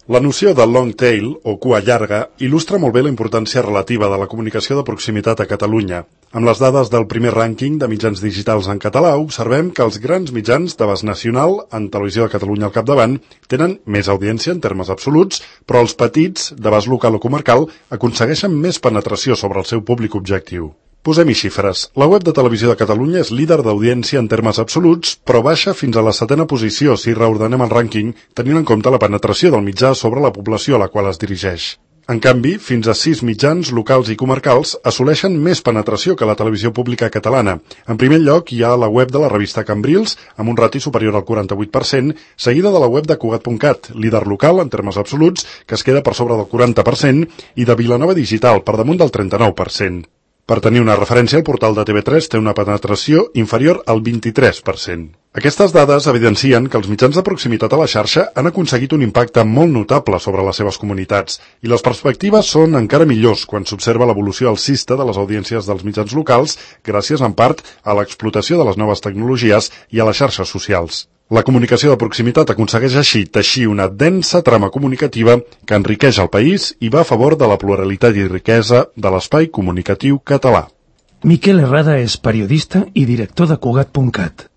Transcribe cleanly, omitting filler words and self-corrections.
La noció de long tail, o cua llarga, il·lustra molt bé la importància relativa de la comunicació de proximitat a Catalunya. Amb les dades del primer rànquing de mitjans digitals en català, observem que els grans mitjans d'abast nacional, en Televisió de Catalunya al capdavant, tenen més audiència en termes absoluts, però els petits, d'abast local o comarcal, aconsegueixen més penetració sobre el seu públic objectiu. Posem-hi xifres. La web de Televisió de Catalunya és líder d'audiència en termes absoluts, però baixa fins a la 7ª posició si reordenem el rànquing, tenint en compte la penetració del mitjà sobre la població a la qual es dirigeix. En canvi, fins a 6 mitjans locals i comarcals assoleixen més penetració que la televisió pública catalana. En primer lloc hi ha la web de la revista Cambrils, amb un rati superior al 48%, seguida de la web de Cugat.cat, líder local en termes absoluts, que es queda per sobre del 40%, i de Vilanova Digital, per damunt del 39%. Per tenir una referència, el portal de TV3 té una penetració inferior al 23%. Aquestes dades evidencien que els mitjans de proximitat a la xarxa han aconseguit un impacte molt notable sobre les seves comunitats i les perspectives són encara millors quan s'observa l'evolució alcista de les audiències dels mitjans locals gràcies en part a l'explotació de les noves tecnologies i a les xarxes socials. La comunicació de proximitat aconsegueix així teixir una densa trama comunicativa que enriqueix el país i va a favor de la pluralitat i riquesa de l'espai comunicatiu català. Miquel Herrada és periodista i director de Cugat.cat.